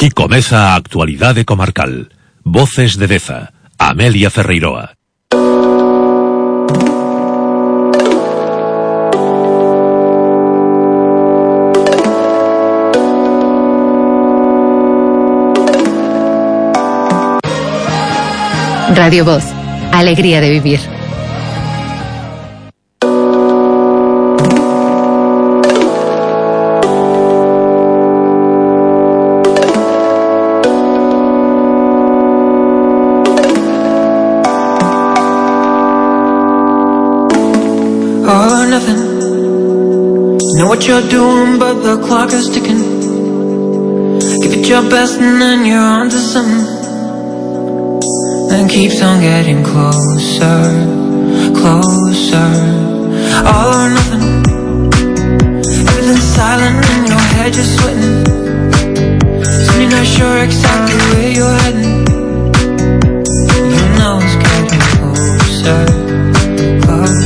Aquí comeza a actualidade comarcal. Voces de Deza, Amelia Ferreiroa. Radio Voz, alegría de vivir. All or nothing. Know what you're doing, but the clock is ticking. Give it your best and then you're on to something. And keeps on getting closer, closer. All or nothing. Everything's silent and your head just sweating. Soon you're not sure exactly where you're heading. You know it's getting closer, closer.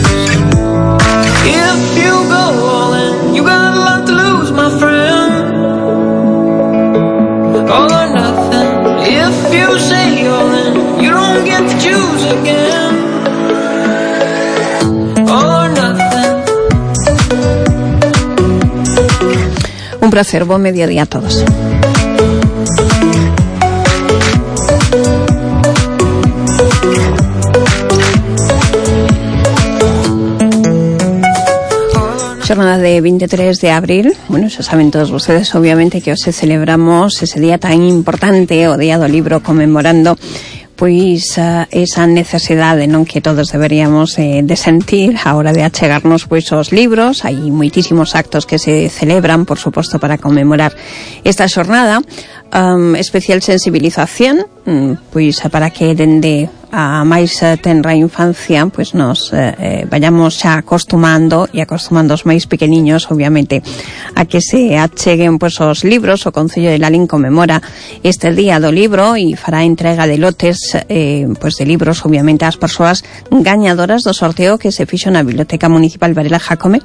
If you go all in, you got a lot to lose, my friend. All or nothing. If you say all in, you don't get to choose again. All or nothing. Un placer, buen mediodía a todos. Jornada de 23 de abril, bueno, xa saben todos ustedes obviamente que hoxe celebramos ese día tan importante, o Día do Libro, conmemorando pois esa necesidade, non, que todos deberíamos de sentir a hora de achegarnos pois aos libros. Hai moitísimos actos que se celebran, por suposto, para conmemorar esta xornada. Especial sensibilización, pois para que dende a máis tenra infancia pois nos vayamos xa acostumando os máis pequeniños, obviamente, a que se acheguen pois os libros. O Concello de Lalín conmemora este Día do Libro e fará entrega de lotes pois de libros, obviamente, ás persoas gañadoras do sorteo que se fixo na Biblioteca Municipal Varela Jácome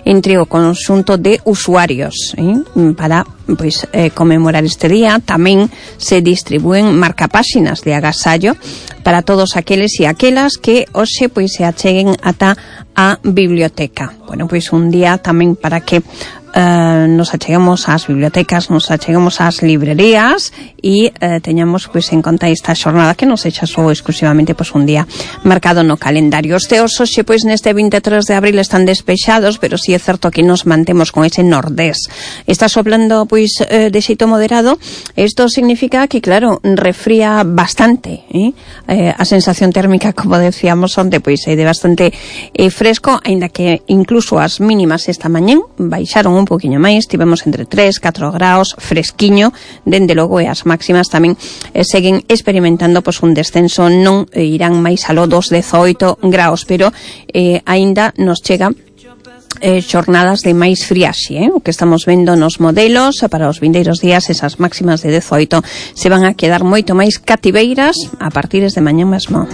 entre o conxunto de usuarios para pois conmemorar este día. Tamén se distribúen marcapáxinas de agasallo para todos aqueles e aquelas que hoxe pois se acheguen ata a biblioteca. Bueno, pois un día tamén para que nos acheguemos ás bibliotecas, nos acheguemos ás librerías e teñamos pois en conta esta xornada, que non sexa só exclusivamente pois un día marcado no calendario. Os teos hoxe pois neste 23 de abril están despexados, pero si é certo que nos mantemos con ese nordés. Está soplando pois de xeito moderado. Isto significa que, claro, refría bastante, a sensación térmica, como decíamos onte, pois é de bastante fresco, aínda que incluso as mínimas esta mañán baixaron un poquinho máis, tivemos entre 3, 4 graus, fresquiño, dende logo, e as máximas tamén seguen experimentando pois un descenso, non irán máis aló dos 18 graus, pero aínda nos chega xornadas de máis friaxe, o que estamos vendo nos modelos para os vindeiros días. Esas máximas de 18 se van a quedar moito máis cativeiras a partir de mañá mesmo.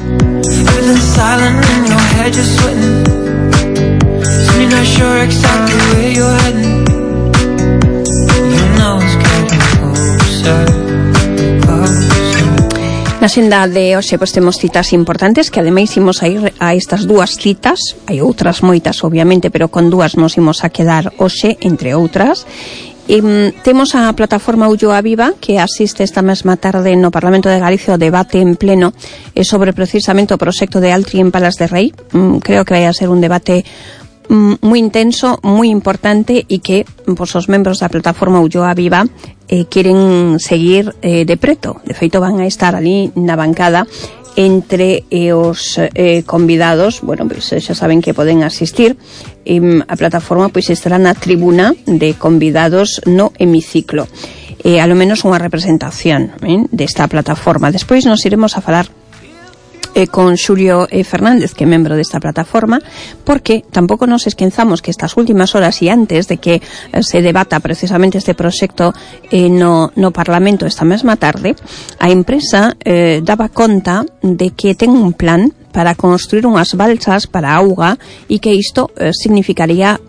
Na xenda de hoxe pois temos citas importantes, que ademais imos a ir a estas dúas citas. Hai outras moitas, obviamente, pero con dúas nos imos a quedar hoxe, entre outras. Temos a plataforma Ulloa Viva, que asiste esta mesma tarde no Parlamento de Galicia o debate en pleno sobre precisamente o proxecto de Altri en Palas de Rei. Creo que vai a ser un debate moi intenso, moi importante, e que pois, os membros da plataforma Ulloa Viva queren seguir de preto. De feito, van a estar ali na bancada entre os convidados. Bueno, pois xa saben que poden asistir. A plataforma pois estará na tribuna de convidados no hemiciclo. A lo menos unha representación desta plataforma. Despois nos iremos a falar con Xulio Fernández, que é membro desta plataforma, porque tampouco nos esquenzamos que estas últimas horas e antes de que se debata precisamente este proxecto no Parlamento esta mesma tarde, a empresa daba conta de que ten un plan para construir unhas balsas para a auga e que isto significaría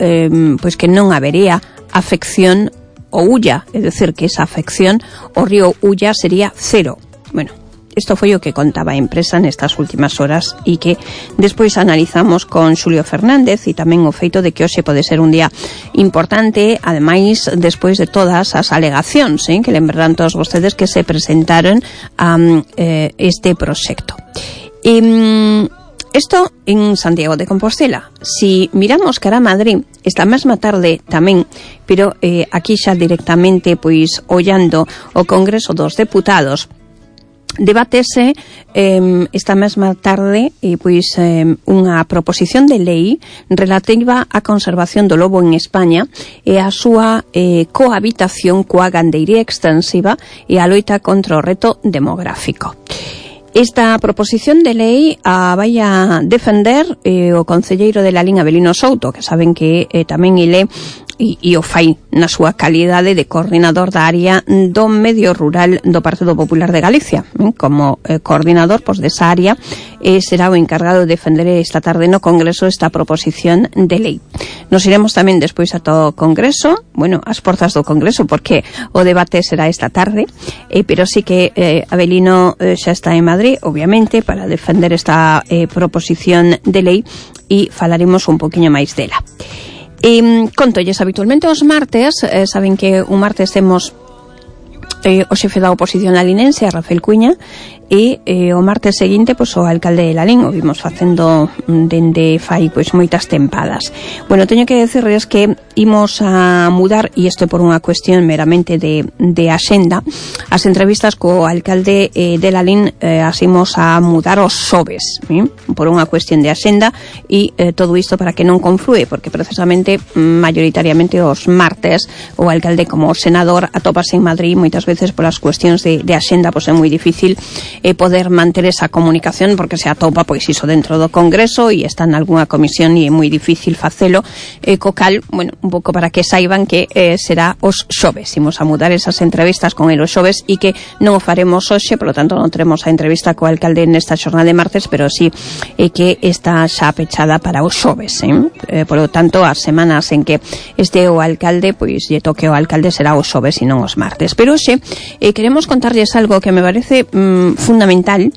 pois que non habería afección o Ulla, é dicir, que esa afección ao río Ulla sería cero. Bueno, isto foi o que contaba a empresa nestas últimas horas e que despois analizamos con Xulio Fernández, e tamén o feito de que hoxe pode ser un día importante, ademais despois de todas as alegacións, que lembrarán todos vostedes que se presentaron a este proxecto. Isto en Santiago de Compostela. Si miramos cara a Madrid, esta mesma tarde tamén, pero aquí xa directamente pois ollando o Congreso dos Deputados, debatese esta mesma tarde pois unha proposición de lei relativa á conservación do lobo en España e a súa cohabitación coa gandeiría extensiva e a loita contra o reto demográfico. Esta proposición de lei vai a defender o concelleiro de Lalín, Avelino Souto, que saben que tamén ele e o fai na súa calidade de coordinador da área do medio rural do Partido Popular de Galicia. Como coordinador desa área será o encargado de defender esta tarde no Congreso esta proposición de lei. Nos iremos tamén despois a todo o Congreso, bueno, as portas do Congreso, porque o debate será esta tarde, pero sí que Avelino xa está en Madrid, obviamente, para defender esta proposición de lei e falaremos un poquinho máis dela. Contolles habitualmente os martes, saben que un martes temos o xefe da oposición lalinense, Rafael Cuña, e o martes seguinte o alcalde de Lalín, o vimos facendo dende fai moitas tempadas. Bueno, teño que decirles que imos a mudar, e isto é por unha cuestión meramente de axenda, as entrevistas co alcalde de Lalín as imos a mudar os xoves, por unha cuestión de axenda, e todo isto para que non conflúe, porque precisamente mayoritariamente os martes o alcalde como senador atópase en Madrid, moitas veces polas cuestións de axenda é moi difícil poder manter esa comunicación, porque se atopa iso dentro do Congreso e está en algunha comisión e é moi difícil facelo, co cal, bueno, un pouco para que saiban que será os xoves. Imos a mudar esas entrevistas con el os xoves e que non o faremos hoxe, por lo tanto non teremos a entrevista co alcalde nesta xornada de martes, pero sí que está xa pechada para os xoves, por lo tanto as semanas en que este o alcalde, lle toque o alcalde será os xoves e non os martes. Pero hoxe queremos contarlles algo que me parece fundamental,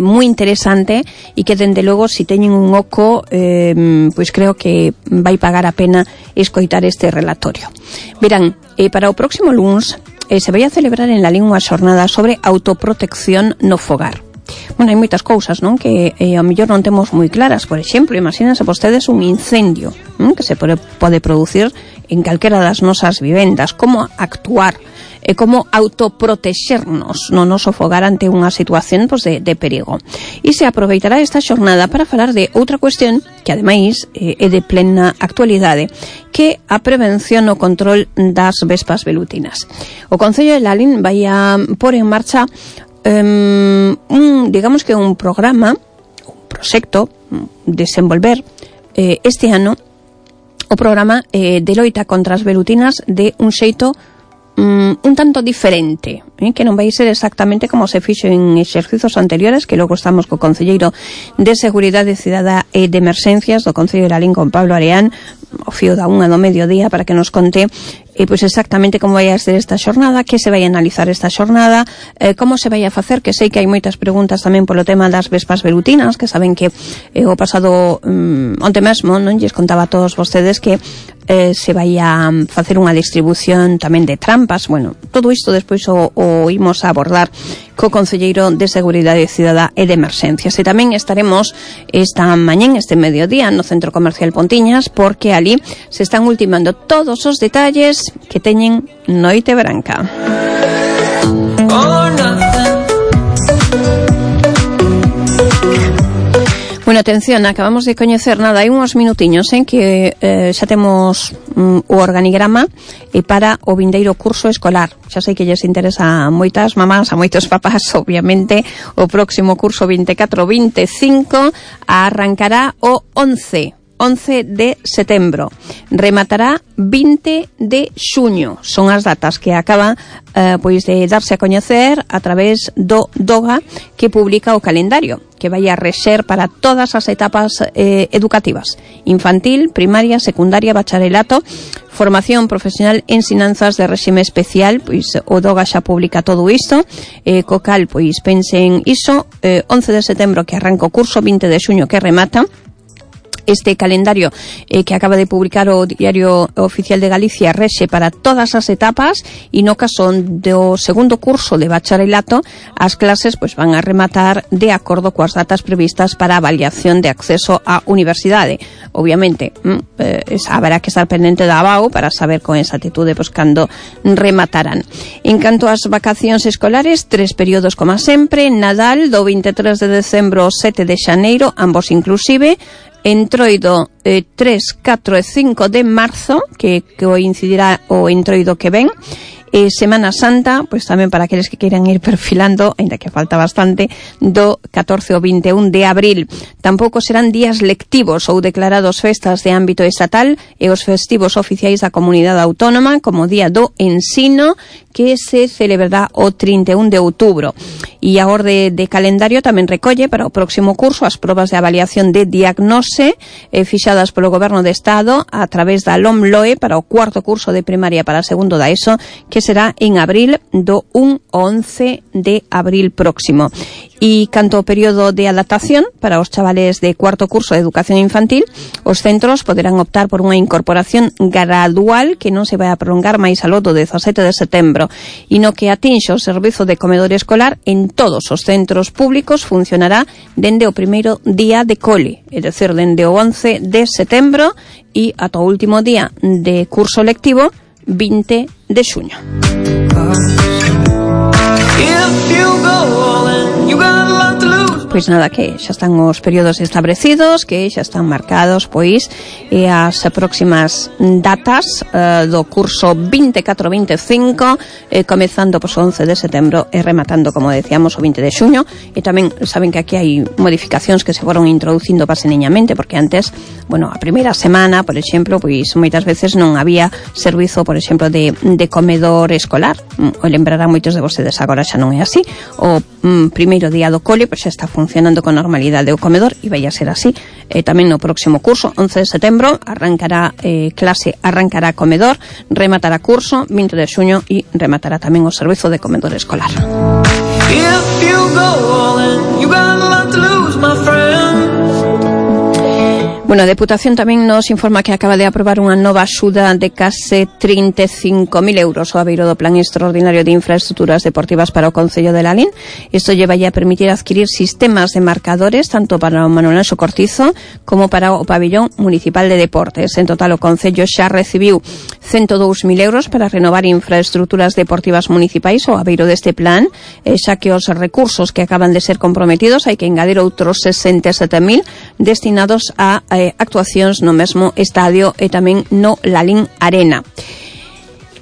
moi interesante, e que dende logo si teñen un oco creo que vai pagar a pena escoitar este relatorio. Verán, para o próximo luns se vai a celebrar en Lalín unha xornada sobre autoprotección no fogar. Bueno, hai moitas cousas, non, que ao mellor non temos moi claras. Por exemplo, imagínense vostedes un incendio que se pode producir en calquera das nosas vivendas, como actuar e como autoprotexernos no noso fogar ante unha situación de perigo. E se aproveitará esta xornada para falar de outra cuestión que ademais é de plena actualidade, que a prevención o control das vespas velutinas. O Concello de Lalín vai a pôr en marcha digamos que un programa, un proxecto desenvolver este ano o programa de loita contra as velutinas de un xeito un tanto diferente, que non vai ser exactamente como se fixo en exercicios anteriores, que logo estamos co concelleiro de Seguridade Cidadá e de Emerxencias do Concello de Lalín, con Pablo Areán, o fío da 1 do mediodía, para que nos conte exactamente como vai a ser esta xornada, que se vai a analizar esta xornada, como se vai a facer, que sei que hai moitas preguntas tamén polo tema das vespas velutinas, que saben que o pasado onte mesmo non lles contaba a todos vostedes que se vai a facer unha distribución tamén de trampas. Bueno, todo isto despois o imos a abordar co concelleiro de Seguridade Cidadá e de Emerxencias. E tamén estaremos esta mañén, este mediodía, no Centro Comercial Pontiñas, porque ali se están ultimando todos os detalles que teñen Noite Branca. Bueno, atención, acabamos de coñecer hai uns minutiños en que xa temos o organigrama para o vindeiro curso escolar. Xa sei que lles interesa a moitas mamás, a moitos papás, obviamente, o próximo curso 24-25 arrancará o 11 11 de setembro. Rematará 20 de xuño. Son as datas que acaban pois de darse a coñecer a través do DOGA, que publica o calendario que vai a rexer para todas as etapas educativas: infantil, primaria, secundaria, bacharelato, formación profesional, ensinanzas de réxime especial. Pois o DOGA xa publica todo isto, co cal pois pensen iso, 11 de setembro que arranca o curso, 20 de xuño que remata. Este calendario que acaba de publicar o Diario Oficial de Galicia rexe para todas as etapas, e no caso do segundo curso de bacharelato as clases pois van a rematar de acordo coas datas previstas para a avaliación de acceso á universidade. Obviamente haberá que estar pendente da ABAU para saber con exactitude pois cando rematarán. En canto ás vacacións escolares, 3 períodos como sempre: Nadal do 23 de decembro ao 7 de xaneiro, ambos inclusive; Entroido 3, 4 e 5 de marzo, que coincidirá o entroido que ven. Semana Santa, pois tamén para aqueles que queiran ir perfilando, ainda que falta bastante, do 14 ao 21 de abril. Tampouco serán días lectivos ou declarados festas de ámbito estatal e os festivos oficiais da comunidade autónoma, como Día do Ensino, que se celebrará o 31 de outubro. E a orde de calendario tamén recolle para o próximo curso as probas de avaliación de diagnose fixadas polo Goberno de Estado a través da LOMLOE para o cuarto curso de primaria para segundo da ESO, que será en abril, do 1 ao 11 de abril próximo. E canto ao período de adaptación para os chavales de cuarto curso de educación infantil, os centros poderán optar por unha incorporación gradual que non se vai a prolongar máis aló do 17 de setembro, e no que atinxe o servizo de comedor escolar en todos os centros públicos funcionará dende o primeiro día de cole, é dicir, dende o 11 de setembro e ata o último día de curso lectivo, 20 de xuño. Pois nada, que xa están os períodos establecidos, que xa están marcados pois as próximas datas do curso 24-25, comezando pois o 11 de setembro e rematando, como decíamos, o 20 de xuño. E tamén saben que aquí hai modificacións que se foron introducindo paseneñamente, porque antes, bueno, a primeira semana, por exemplo, pois moitas veces non había servizo, por exemplo, de comedor escolar. O lembrarán moitos de vostedes, agora xa non é así. O primeiro día do cole pois xa está funcionando con normalidade o comedor e vai a ser así tamén no próximo curso. 11 de setembro arrancará clase, arrancará comedor, rematará curso 20 de xuño e rematará tamén o servizo de comedor escolar. Bueno, a Deputación tamén nos informa que acaba de aprobar unha nova axuda de case 35.000 euros ao abeiro do Plan Extraordinario de Infraestructuras Deportivas para o Concello de Lalín. Isto lle vai a permitir adquirir sistemas de marcadores tanto para o Manuel Anxo Cortizo como para o Pabellón Municipal de Deportes. En total, o Concello xa recibiu 102.000 euros para renovar infraestructuras deportivas municipais ao abeiro deste plan, xa que os recursos que acaban de ser comprometidos hai que engadir outros 67.000 destinados a actuacións no mesmo estadio e tamén no Lalín Arena.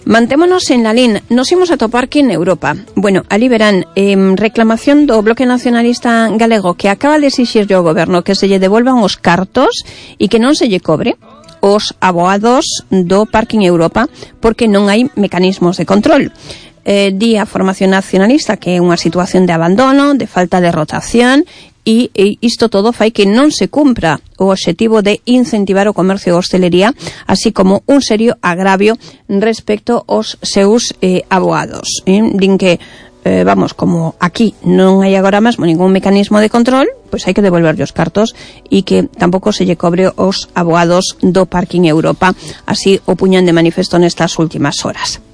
Mantémonos en Lalín, nos imos a topar que en Europa. Bueno, ali verán reclamación do Bloque Nacionalista Galego, que acaba de exixirlle ao goberno que se lle devolvan os cartos e que non se lle cobre os aboados do Parking Europa, porque non hai mecanismos de control. Di a Formación Nacionalista que é unha situación de abandono, de falta de rotación, e isto todo fai que non se cumpra o obxectivo de incentivar o comercio e a hostelería, así como un serio agravio respecto aos seus aboados. Din que, vamos, como aquí non hai agora mesmo ningún mecanismo de control, pois hai que devolverlle os cartos e que tampouco se lle cobre os aboados do Parking Europa. Así o puñan de manifesto nestas últimas horas.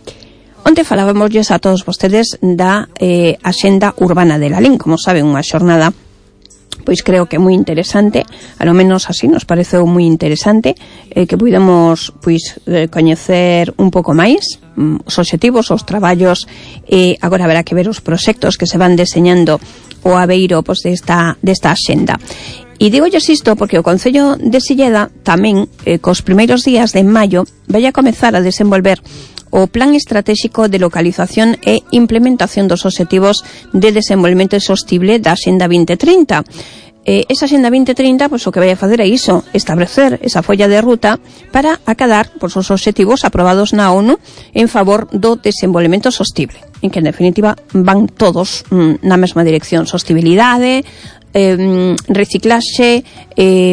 Onte falábamosles a todos vostedes da Axenda Urbana de Lalín, como saben, unha xornada pois creo que é moi interesante, a lo menos así nos pareceu moi interesante, que puidamos pois coñecer un pouco máis os obxectivos, os traballos, e agora haberá que ver os proxectos que se van deseñando o abeiro pois desta axenda. E digolles isto porque o Concello de Silleda tamén, cos primeiros días de maio, vai a comezar a desenvolver o Plan Estratégico de Localización e Implementación dos Obxectivos de Desenvolvemento Sostible da Axenda 2030. esa Axenda 2030, pois o que vai a facer é iso, establecer esa folla de ruta para acadar pois, os obxectivos aprobados na ONU en favor do desenvolvemento sostible, en que en definitiva van todos na mesma dirección, sostibilidade, reciclaxe,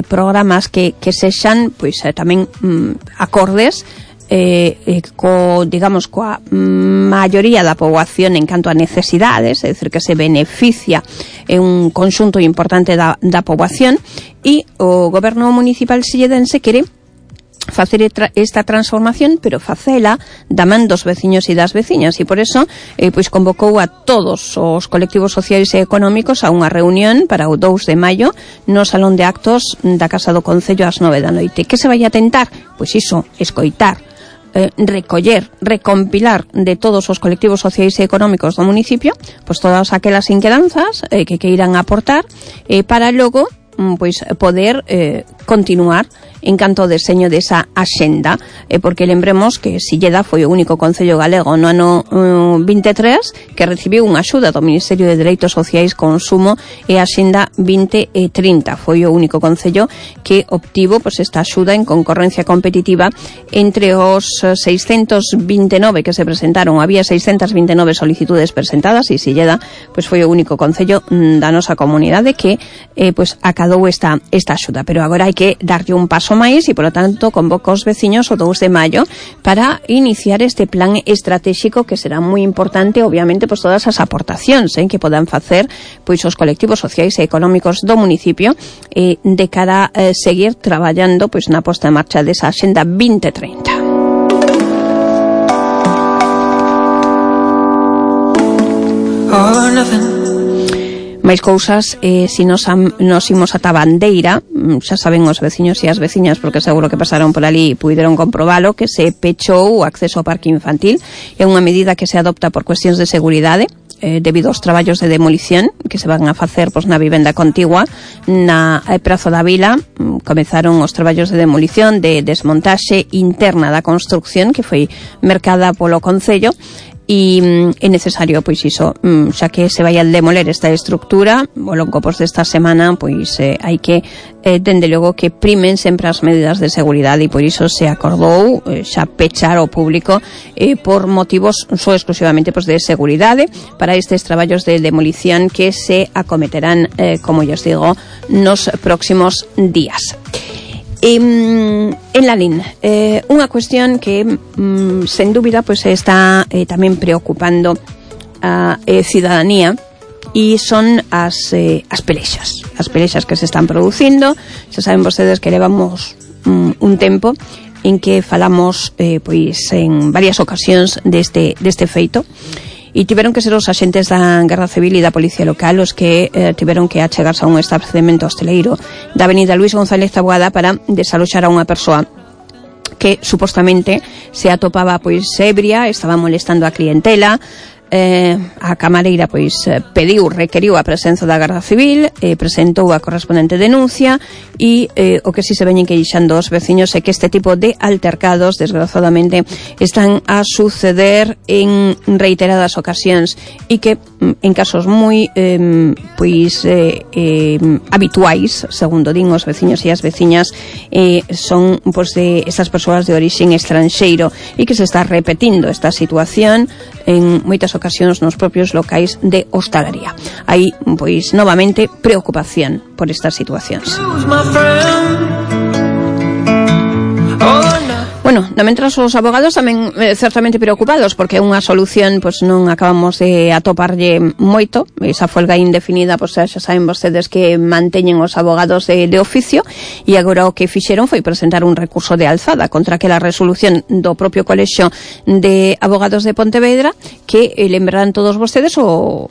programas que sexan pois tamén acordes coa maioría da poboación en canto a necesidades, é dicir, que se beneficia en un conxunto importante da poboación, e o goberno municipal silledense quere facer esta transformación, pero facela da man dos veciños e das veciñas, e por eso pois convocou a todos os colectivos sociais e económicos a unha reunión para o 2 de maio no Salón de Actos da Casa do Concello ás 9 da noite. Que se vai a tentar? Pois iso, escoitar, recoller, recompilar de todos os colectivos sociais e económicos do municipio pois todas aquelas inquedanzas que queiran aportar para logo pois poder continuar en canto ao deseño desa axenda, porque lembremos que Silleda foi o único concello galego no ano 23 que recibiu unha axuda do Ministerio de Dereitos Sociais, Consumo e Axenda 2030. Foi o único concello que obtivo pois, esta axuda en concorrencia competitiva entre os 629 que se presentaron. Había 629 solicitudes presentadas e Silleda pois, foi o único concello da nosa comunidade que pois, acadou esta axuda. Pero agora hai que darlle un paso máis e, polo tanto, convoca os veciños o 2 de maio para iniciar este plan estratégico que será moi importante, obviamente, pois todas as aportacións que podan facer pois os colectivos sociais e económicos do municipio de cara a seguir traballando pois na posta en marcha desa Axenda 2030. Máis cousas, se nos imos ata Bandeira, xa saben os veciños e as veciñas, porque seguro que pasaron por ali e puideron comprobalo, que se pechou o acceso ao parque infantil. É unha medida que se adopta por cuestións de seguridade, debido aos traballos de demolición que se van a facer pois, na vivenda contigua na Prazo da Vila. Comezaron os traballos de demolición, de desmontaxe interna da construcción que foi mercada polo Concello, e é necesario, pois iso, xa que se vai a demoler esta estructura ao longo desta semana, pois hai que dende logo que primen sempre as medidas de seguridade, e por iso se acordou xa pechar ao público por motivos só exclusivamente pois, de seguridade para estes traballos de demolición que se acometerán, como lles digo, nos próximos días. En Lalín, unha cuestión que sen dúbida pois está tamén preocupando a cidadanía, e son as pelexas que se están producindo. Xa saben vostedes que levamos un tempo en que falamos pois en varias ocasións deste feito, e tiveron que ser os axentes da Garda Civil e da Policía Local os que tiveron que achegarse a un establecemento hosteleiro da Avenida Luis González Taboada para desaloxar a unha persoa que supostamente se atopaba pois ebria, estaba molestando a clientela. A camareira pois requeriu a presenza da Garda Civil, presentou a correspondente denuncia, e o que si se veñen queixando os veciños é que este tipo de altercados desgraciadamente están a suceder en reiteradas ocasións, e que en casos moi habituais, segundo din os veciños e as veciñas, son pois de estas persoas de orixen estranxeiro, e que se está repetindo esta situación en moitas ocasións nos propios locais de hostalería. Hai, pois, novamente, preocupación por estas situacións. Bueno, mentras os abogados tamén certamente preocupados, porque é unha solución pois non acabamos de atoparlle moito. Esa folga indefinida, pois xa saben vostedes que manteñen os abogados de oficio, e agora o que fixeron foi presentar un recurso de alzada contra aquela resolución do propio Colexio de Abogados de Pontevedra, que lembrarán todos vostedes o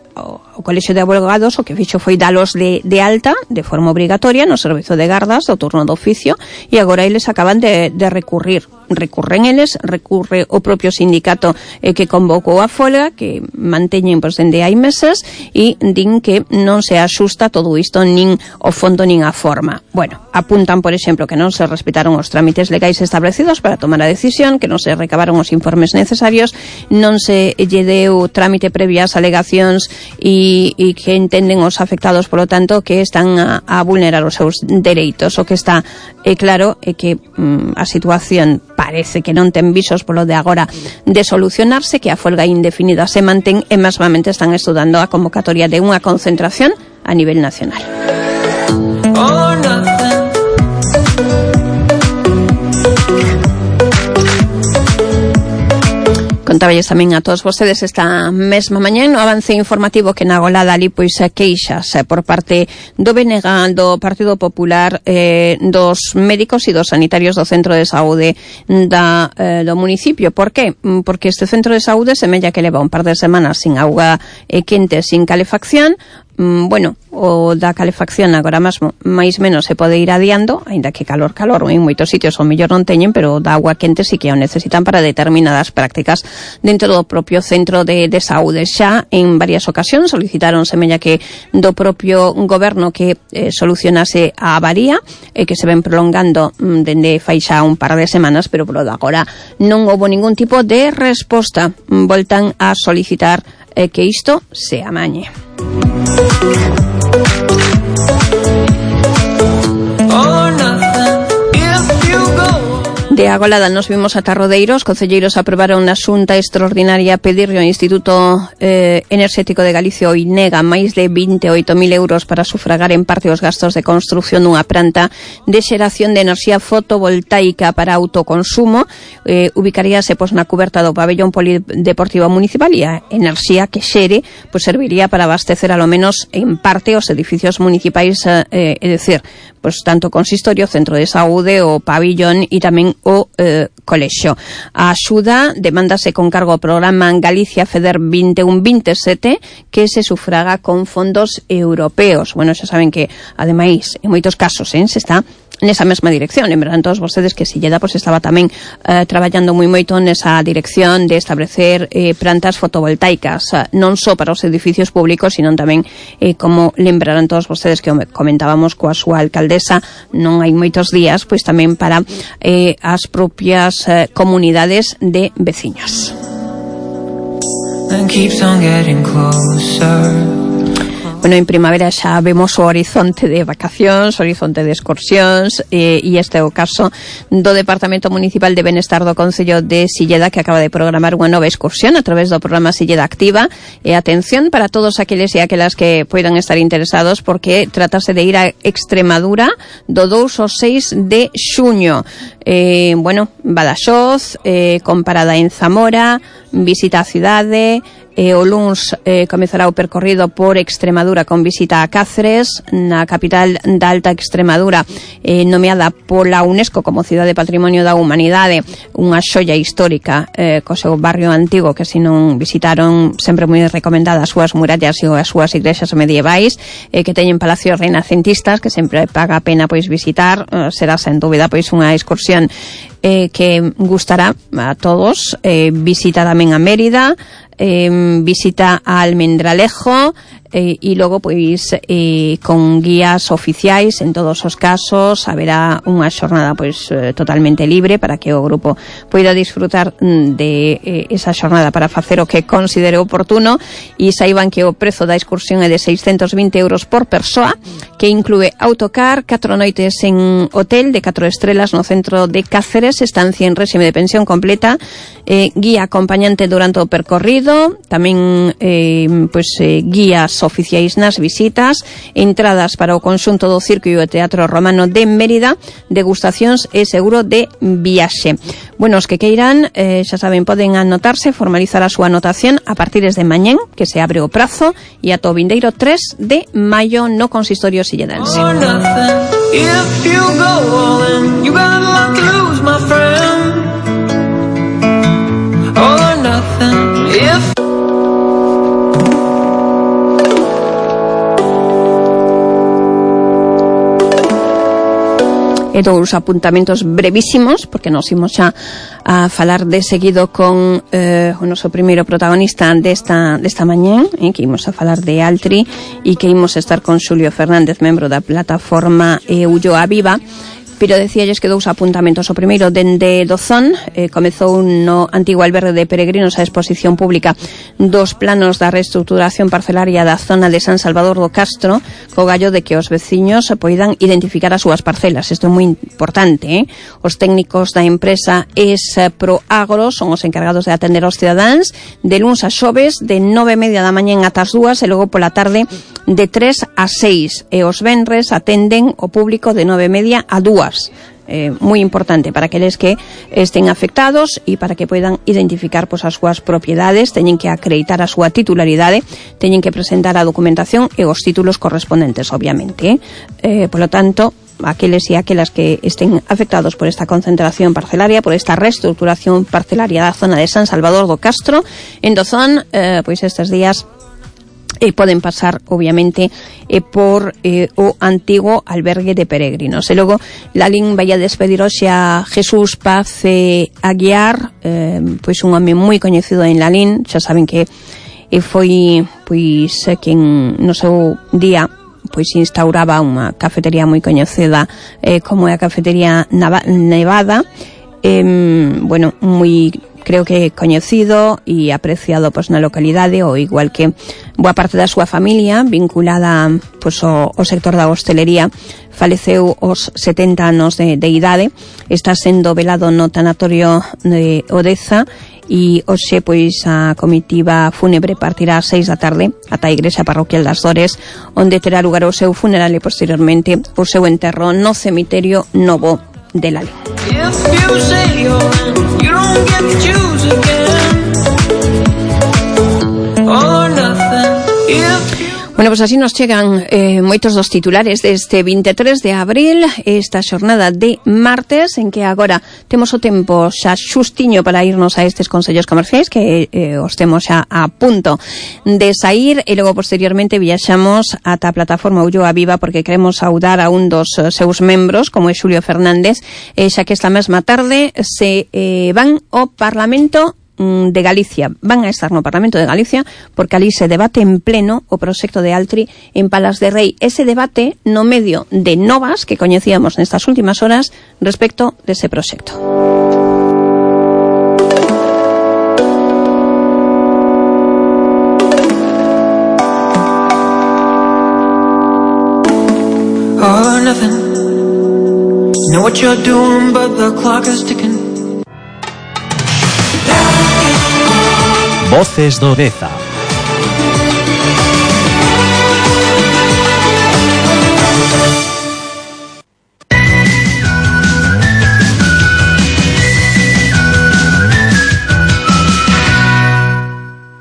Colexio de Abogados o que fixo foi dalos de alta de forma obrigatoria no servizo de gardas do turno do oficio, e agora eles acaban de recurrir. Recurren eles, recurre o propio sindicato que convocou a folga, que manteñen pois dende hai meses, e din que non se axusta todo isto nin o fondo nin a forma. Bueno, apuntan, por exemplo, que non se respetaron os trámites legais establecidos para tomar a decisión, que non se recabaron os informes necesarios, non se lle deu trámite previo ás alegacións e que entenden os afectados, polo tanto, que están a vulnerar os seus dereitos. O que está claro é que a situación parece que non ten visos polo de agora de solucionarse, que a folga indefinida se mantén e mesmamente están estudando a convocatoria de unha concentración a nivel nacional. Contáballes tamén a todos vostedes esta mesma mañá no avance informativo que na golada ali pois queixas por parte do BNG, do Partido Popular, dos médicos e dos sanitarios do centro de saúde do municipio. Por qué? Porque este centro de saúde semella que leva un par de semanas sin auga quente, sin calefacción. Bueno, o da calefacción agora mesmo máis menos se pode ir adiando, aínda que calor en moitos sitios o mellor non teñen, pero da agua quente sí que o necesitan para determinadas prácticas dentro do propio centro de saúde. Xa en varias ocasións solicitaron semella que do propio goberno que solucionase a avaría que se ven prolongando dende fai xa un par de semanas, pero polo de agora non houbo ningún tipo de resposta. Voltan a solicitar que isto se amañe. De agolada nos vimos ata Rodeiro. Os concelleiros aprobaron na xunta extraordinaria pedirle ao Instituto Enerxético de Galicia, o INEGA, máis de 28.000 euros para sufragar en parte os gastos de construción dunha planta de xeración de enerxía fotovoltaica para autoconsumo. Ubicaríase pois na cuberta do pabellón polideportivo municipal e a enerxía que xere pois serviría para abastecer alo menos en parte os edificios municipais, é dicir, pois tanto o consistorio, o centro de saúde, o pabellón e tamén o colexio. A axuda demándase con cargo ao programa Galicia FEDER 21-27 que se sufraga con fondos europeos. Bueno, xa saben que, ademais, en moitos casos se está nesa mesma dirección. Lembrarán todos vostedes que Silleda pues estaba tamén traballando moi moito nesa dirección de establecer plantas fotovoltaicas, non só para os edificios públicos, sino tamén, como lembrarán todos vostedes que comentábamos coa súa alcaldesa non hai moitos días, pois tamén para as propias comunidades de veciños. Bueno, en primavera xa vemos o horizonte de vacacións, o horizonte de excursións, e este é o caso do Departamento Municipal de Benestar do Concello de Silleda, que acaba de programar unha nova excursión a través do programa Silleda Activa. E atención para todos aqueles e aquelas que poidan estar interesados, porque tratase de ir a Extremadura do 2 ao 6 de xuño. Bueno, Badaxoz, con parada en Zamora, visita á cidade. O luns comezará o percorrido por Extremadura con visita a Cáceres, na capital da Alta Extremadura, nomeada pola UNESCO como Cidade Patrimonio da Humanidade, unha xoia histórica co seu barrio antigo, que se non visitaron, sempre moi recomendada as súas murallas e as súas igrexas medievais, que teñen palacios renacentistas que sempre paga a pena pois visitar. Será sen dúbida pois unha excursión que gustará a todos. Visita tamén a Mérida, visita a Almendralejo, e logo pois con guías oficiais en todos os casos. Haberá unha xornada pois totalmente libre para que o grupo poida disfrutar de esa xornada para facer o que considere oportuno. E saiban que o prezo da excursión é de 620 euros por persoa, que inclúe autocar, 4 noites en hotel de 4 estrelas no centro de Cáceres, estancia en réxime de pensión completa, guía acompañante durante o percorrido, tamén guías oficiais nas visitas, entradas para o conxunto do Circo e o Teatro Romano de Mérida, degustacións e seguro de viaxe. Bueno, os que queiran, xa saben, poden anotarse, formalizar a súa anotación a partir de mañén, que se abre o prazo, e ata o vindeiro 3 de maio no consistorio silledense. dous apuntamentos brevísimos, porque nos imos xa a falar de seguido con o noso primeiro protagonista desta mañán, que imos a falar de Altri e que imos a estar con Xulio Fernández, membro da plataforma Ulloa Viva. Pero decíalles que dous apuntamentos. O primeiro, dende Dozón, comezou no antigo albergue de peregrinos a exposición pública dos planos da reestructuración parcelaria da zona de San Salvador do Castro, co gallo de que os veciños poidan identificar as súas parcelas. Isto é moi importante, Os técnicos da empresa Esproagro son os encargados de atender aos cidadáns de luns a xoves, de 9:30 da mañá ata as 2, e logo pola tarde de 3 a 6. E os venres atenden o público de 9:30 a 2. Moi importante para aqueles que estén afectados e para que poidan identificar as súas propiedades. Teñen que acreditar a súa titularidade, teñen que presentar a documentación e os títulos correspondentes, obviamente. Polo tanto, aqueles e aquelas que estén afectados por esta concentración parcelaria, por esta reestructuración parcelaria da zona de San Salvador do Castro, en Dozón, pois estes días poden pasar, obviamente, por o antigo albergue de peregrinos. E logo, Lalín vai a despedir hoxe a Jesús Paz Aguiar, pois un home moi coñecido en Lalín. Xa saben que foi quen no seu día instauraba unha cafetería moi coñecida como é a cafetería Nevada, moi, creo que coñecido e apreciado na localidade, ou igual que boa parte da súa familia vinculada ao sector da hostelería. Faleceu aos 70 anos de idade, está sendo velado no tanatorio de Odeza, e hoxe a comitiva fúnebre partirá ás 6 da tarde ata a igrexa parroquial das Dores, onde terá lugar o seu funeral e posteriormente o seu enterro no cemiterio Novo de Lalín. Bueno, pois así nos chegan moitos dos titulares deste 23 de abril, esta xornada de martes, en que agora temos o tempo xa xustiño para irnos a estes consellos comerciais, que os temos xa a punto de sair, e logo posteriormente viaxamos ata a plataforma Ulloa Viva, porque queremos saudar a un dos seus membros, como é Xulio Fernández, xa que esta mesma tarde se van ao Parlamento de Galicia. Van a estar no Parlamento de Galicia porque ali se debate en pleno o proxecto de Altri en Palas de Rei. Ese debate no medio de novas que coñecíamos nestas últimas horas respecto dese proxecto. All or nothing. Know what you're doing, but the clock is ticking. Voces do Deza.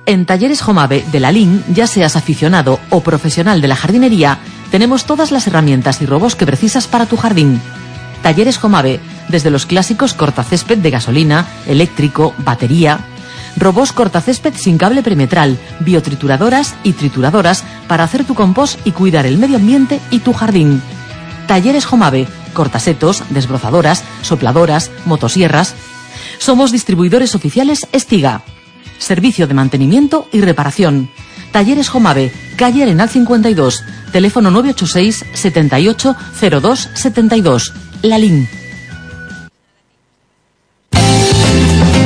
En Talleres Jomave de Lalín, ya seas aficionado o profesional de la jardinería, tenemos todas las herramientas y robos que precisas para tu jardín. Talleres Jomave, desde los clásicos cortacésped de gasolina, eléctrico, batería, robos cortacésped sin cable perimetral, biotrituradoras y trituradoras para hacer tu compost y cuidar el medio ambiente y tu jardín. Talleres Jomave, cortasetos, desbrozadoras, sopladoras, motosierras. Somos distribuidores oficiales Estiga. Servicio de mantenimiento y reparación. Talleres Jomave, calle Arenal 52, teléfono 986 78 02 72. Lalín.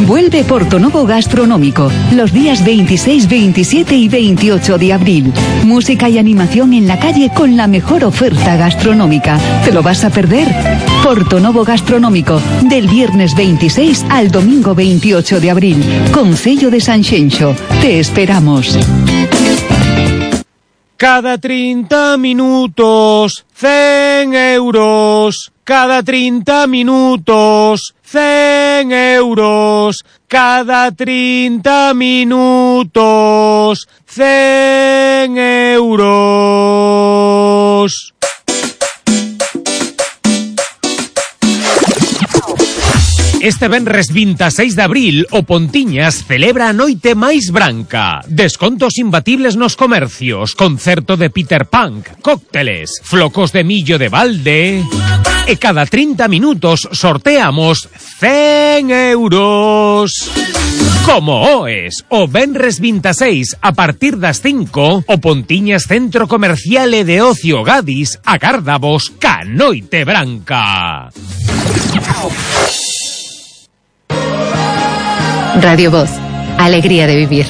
Vuelve Portonovo Gastronómico, los días 26, 27 y 28 de abril. Música y animación en la calle con la mejor oferta gastronómica. ¿Te lo vas a perder? Portonovo Gastronómico, del viernes 26 al domingo 28 de abril. Concello de Sanxenxo. Te esperamos. Cada 30 minutos, 100 euros. Cada 30 minutos, 100 euros. Cada 30 minutos, 100 euros. Este venres 26 de abril o Pontiñas celebra a noite máis branca. Descontos imbatibles nos comercios, concerto de Peter Punk, cócteles, flocos de millo de balde... E cada 30 minutos sorteamos 100 euros. Como oes, o venres 26 a partir das 5, o Pontiñas Centro Comercial e de Ocio Gadis agárdavos ca noite branca. Radio Voz. Alegría de vivir.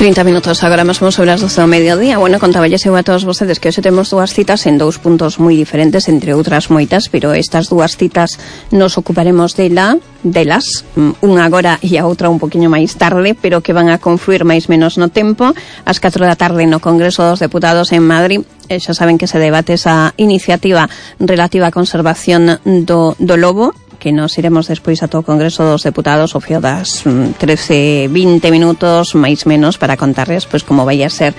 ...30 minutos agora mesmo sobre as 12 do mediodía. Bueno, contaballes eu a todos vostedes que hoxe temos dúas citas en dous puntos moi diferentes, entre outras moitas, pero estas dúas citas nos ocuparemos delas, unha agora e a outra un poquinho máis tarde, pero que van a confluir máis menos no tempo. Ás 4 da tarde no Congreso dos Deputados en Madrid, xa saben que se debate esa iniciativa relativa á conservación do lobo, que nos iremos despois a todo o Congreso dos Deputados ao fío das 13-20 minutos máis menos para contarles pois como vai a ser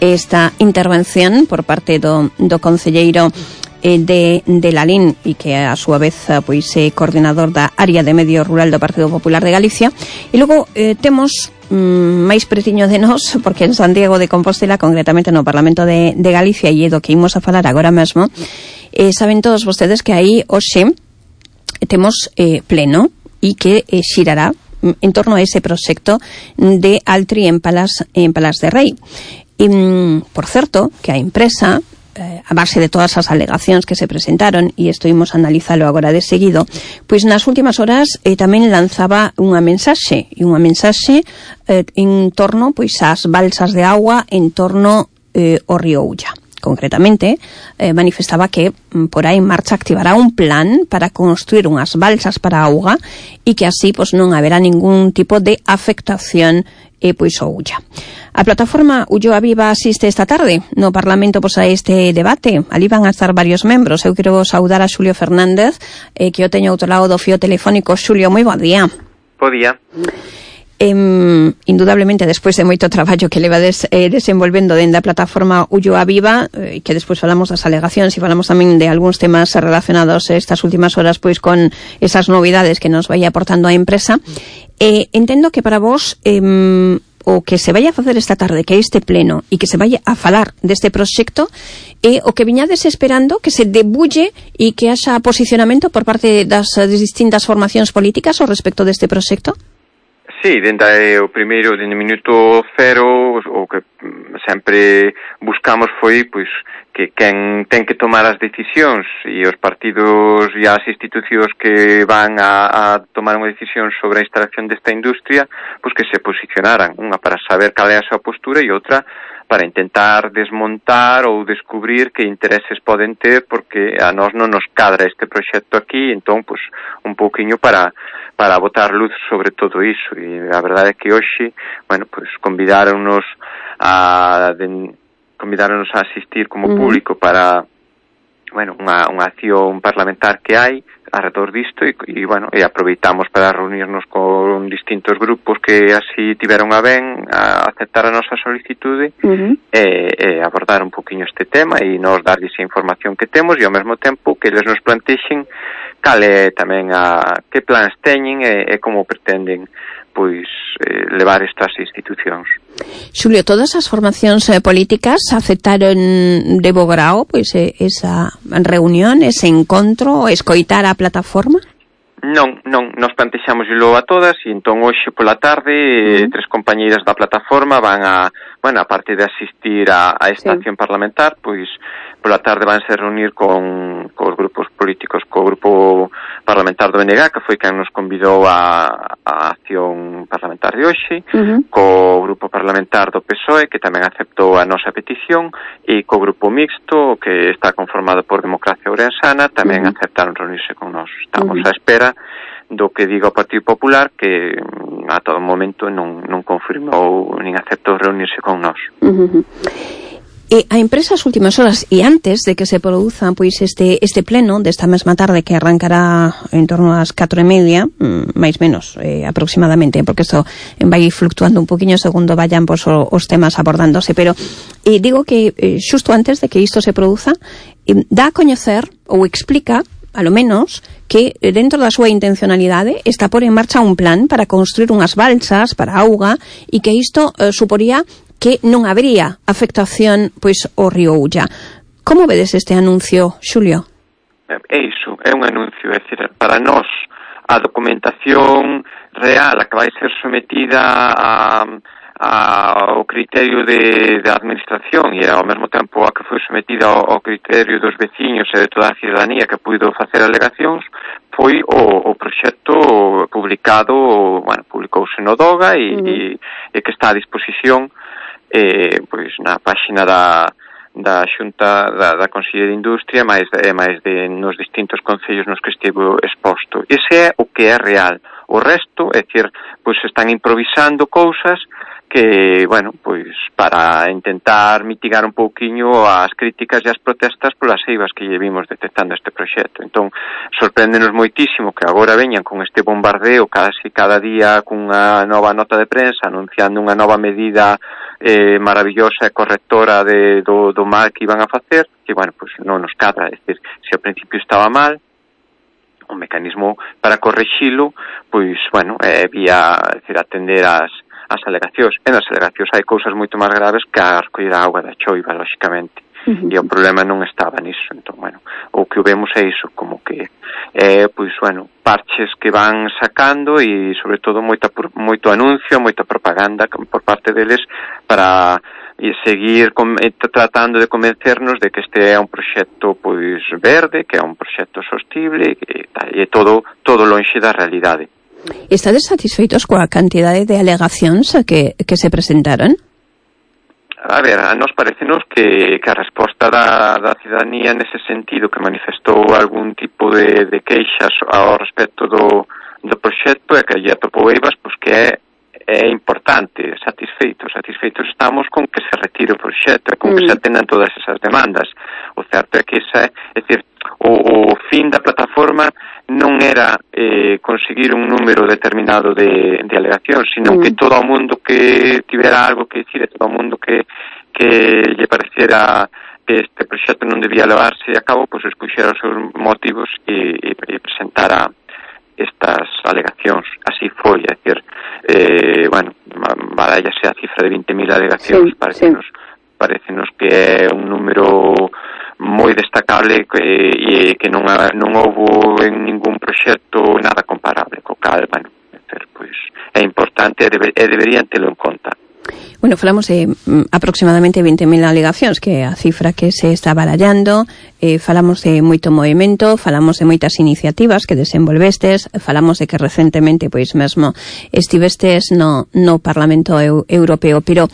esta intervención por parte do concelleiro de Lalín e que a súa vez pois é coordinador da área de medio rural do Partido Popular de Galicia. E logo temos máis pretiño de nós, porque en Santiago de Compostela, concretamente no Parlamento de Galicia, e é do que imos a falar agora mesmo, saben todos vostedes que aí hoxe temos pleno e que xirará en torno a ese proxecto de Altri en Palas de Rei. E, por certo, que a empresa, a base de todas as alegacións que se presentaron, e isto imos a analizalo agora de seguido, pois nas últimas horas tamén lanzaba unha mensaxe en torno pois ás balsas de agua en torno ao río Ulla. Concretamente, manifestaba que por aí en marcha activará un plan para construir unhas balsas para a auga e que así pois non haberá ningún tipo de afectación pois ao Ulla. A plataforma Ulloa Viva asiste esta tarde no Parlamento pois a este debate. Ali van a estar varios membros. Eu quero saudar a Xulio Fernández, que eu teño ao outro lado do fío telefónico. Xulio, moi bo día. Bo día. Indudablemente, despois de moito traballo que leva desenvolvendo dentro da plataforma Ulloa Viva, que despois falamos das alegacións e falamos tamén de algúns temas relacionados estas últimas horas pois con esas novidades que nos vai aportando a empresa, entendo que para vos o que se vai a facer esta tarde, que é este pleno, e que se vai a falar deste proxecto, é o que viñades esperando que se debulle e que haxa posicionamento por parte das distintas formacións políticas ao respecto deste proxecto? Sí, dende o primeiro, dende o minuto cero, o que sempre buscamos foi pois que quen ten que tomar as decisións e os partidos e as institucións que van a tomar unha decisión sobre a instalación desta industria, pois que se posicionaran, unha para saber cal é a súa postura e outra para intentar desmontar ou descubrir que intereses poden ter, porque a nós non nos cadra este proxecto aquí, entón, pois, un pouquiño para botar luz sobre todo iso. E a verdade é que hoxe, bueno, pois convidáronos a asistir como público para, bueno, unha acción parlamentar que hai alrededor disto e bueno, e aproveitamos para reunirnos con distintos grupos que así tiveron a ben a aceptar a nosa solicitude e abordar un poquinho este tema e nos darlles a información que temos e ao mesmo tempo que eles nos plantexen cal é tamén que plans teñen e como pretenden pois levar estas institucións. Xulio, todas as formacións políticas aceptaron de bo grao pois esa reunión, ese encontro, escoitar a plataforma? Non, nos plantexámoslo a todas e entón hoxe pola tarde tres compañeiras da plataforma van a parte de asistir a esta acción parlamentar, pois pola tarde vanse reunir con os grupos políticos, co grupo parlamentar do BNG, que foi quen nos convidou a acción parlamentar de hoxe, co grupo parlamentar do PSOE, que tamén aceptou a nosa petición, e co grupo mixto, que está conformado por Democracia Ourensana, tamén aceptaron reunirse con nós. Estamos á espera do que diga o Partido Popular, que a todo momento non confirmou nin aceptou reunirse con nós. A empresa as últimas horas e antes de que se produza pois este pleno desta mesma tarde, que arrancará en torno ás 4:30, máis menos aproximadamente, porque isto vai fluctuando un poquinho segundo vayan pois, os temas abordándose, pero digo que xusto antes de que isto se produza dá a coñecer ou explica a lo menos que dentro da súa intencionalidade está por en marcha un plan para construir unhas balsas para auga e que isto suporía que non habría afectación pois ao río Ulla. Como vedes este anuncio, Xulio? É iso, é un anuncio, é dicir, para nós a documentación real a que vai ser sometida ao criterio da administración e ao mesmo tempo a que foi sometida ao criterio dos veciños e de toda a ciudadanía que puido facer alegacións foi o proxecto publicado, publicouse no DOGA e que está a disposición pois na páxina da Xunta da Consellería de Industria máis nos distintos concellos nos que estivo exposto. Ese é o que é real. O resto, é dicir, pois están improvisando cousas que, pois para intentar mitigar un pouquiño as críticas e as protestas polas eivas que lle vimos detectando este proxecto. Entón, sorpréndenos moitísimo que agora veñan con este bombardeo casi cada día cunha nova nota de prensa anunciando unha nova medida maravillosa e correctora do mal que iban a facer, que, pois non nos cadra. É dicir, se ao principio estaba mal, o mecanismo para correxilo, pois, vía, atender as alegacións. E nas alegacións hai cousas moito máis graves que a recoller a auga da choiva, lóxicamente. E o problema non estaba nisso. Entón, o que vemos é iso, como que parches que van sacando e, sobre todo, moito anuncio, moita propaganda por parte deles para seguir tratando de convencernos de que este é un proxecto pois verde, que é un proxecto sostible e todo lonxe da realidade. Estades satisfeitos coa cantidade de alegacións que se presentaron? A ver, a nos parecenos que a resposta da ciudadanía nese sentido, que manifestou algún tipo de queixas ao respecto do proxecto e que lle atopou eivas, pois que é importante, satisfeitos estamos con que se retire o proxecto e con que se atendan todas esas demandas. O certo é que é dicir, o fin da plataforma non era conseguir un número determinado de alegacións, sino que todo o mundo que tivera algo que dicir, todo o mundo que lle pareciera que este proxecto non debía levarse a cabo, pois expuxera os seus motivos e presentara estas alegacións. Así foi, é dicir, barállase a cifra de 20.000 alegacións, parecenos que é un número moi destacable e que non houbo en ningún proxecto nada comparable, co cal, pois é importante e deberían telo en conta. Falamos de aproximadamente 20.000 alegacións, que é a cifra que se está barallando. Falamos de moito movimento, falamos de moitas iniciativas que desenvolvestes, falamos de que recentemente pois mesmo estivestes no Parlamento Europeo, pero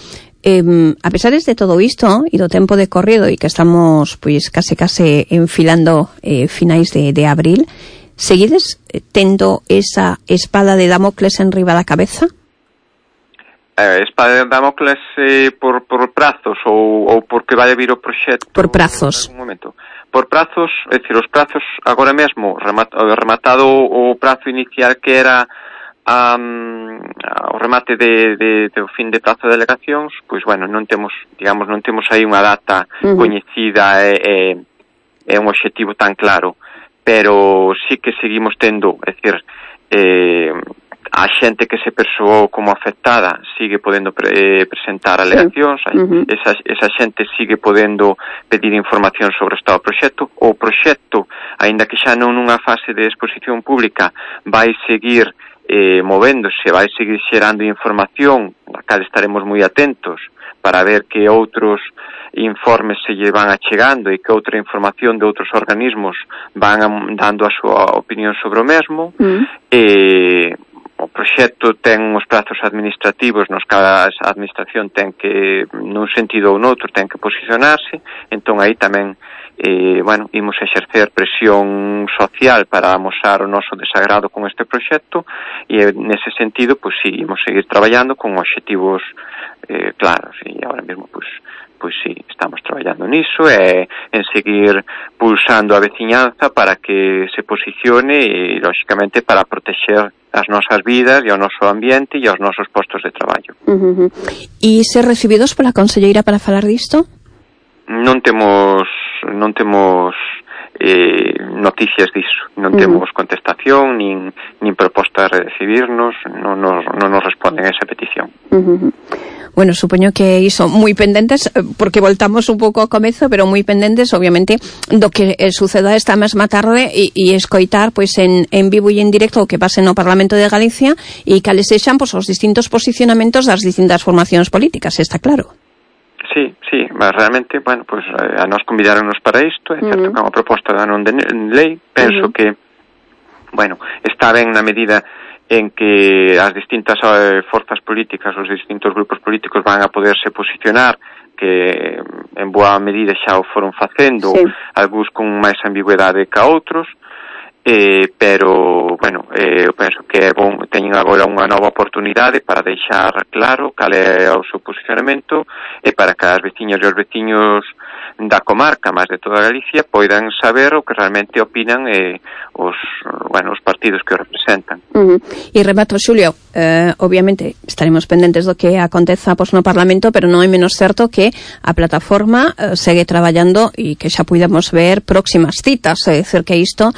a pesar de todo isto e do tempo de corrido e que estamos pois case enfilando finais de abril, seguides tendo esa espada de Damocles enriba da cabeza? Espada de Damocles por prazos ou porque vai vir o proxecto? Por prazos. Por prazos, é dicir, os prazos agora mesmo, rematado o prazo inicial que era o remate do fin de prazo de delegacións, pois non temos aí unha data coñecida e un obxectivo tan claro, pero sí que seguimos tendo, é dicir, a xente que se persoou como afectada sigue podendo presentar alegacións, esa xente sigue podendo pedir información sobre o estado do proxecto. O proxecto, aínda que xa non nunha fase de exposición pública, vai seguir movéndose, vai seguir xerando información, a cal estaremos moi atentos para ver que outros informes se lle van achegando e que outra información de outros organismos van dando a súa opinión sobre o mesmo. O proxecto ten uns prazos administrativos nos que a administración ten que, nun sentido ou noutro, ten que posicionarse, entón aí tamén bueno, imos exercer presión social para amosar o noso desagrado con este proxecto e nese sentido, pois sí, imos seguir traballando con obxectivos claros e agora mesmo, pois sí, estamos traballando niso e en seguir pulsando a veciñanza para que se posicione e, lóxicamente, para protexer as nosas vidas e o noso ambiente e os nosos postos de traballo. E ser recibidos pola conselleira para falar disto? Non temos noticias diso, non temos contestación nin proposta de recibirnos, non nos responden a esa petición. Bueno, supoño que iso moi pendentes, porque voltamos un pouco ao comezo, pero moi pendentes, obviamente, do que suceda esta mesma tarde e escoitar pois en vivo e en directo o que pase no Parlamento de Galicia e cales sexan pois os distintos posicionamentos das distintas formacións políticas, está claro. Sí, realmente, bueno, pues a nos convidaronnos para isto, é certo que é unha proposta da non de lei, penso que, bueno, está ben na medida en que as distintas forzas políticas, os distintos grupos políticos van a poderse posicionar, que en boa medida xa o foron facendo, algúns con máis ambigüedade que outros, pero, bueno, eu penso que é bon, teñen agora unha nova oportunidade para deixar claro cal é o seu posicionamento e para que as veciñas e os veciños da comarca, máis de toda Galicia, poidan saber o que realmente opinan os partidos que o representan. E remato, Xulio, obviamente estaremos pendentes do que aconteza no Parlamento, pero non é menos certo que a plataforma segue traballando e que xa puidamos ver próximas citas, é dicir que isto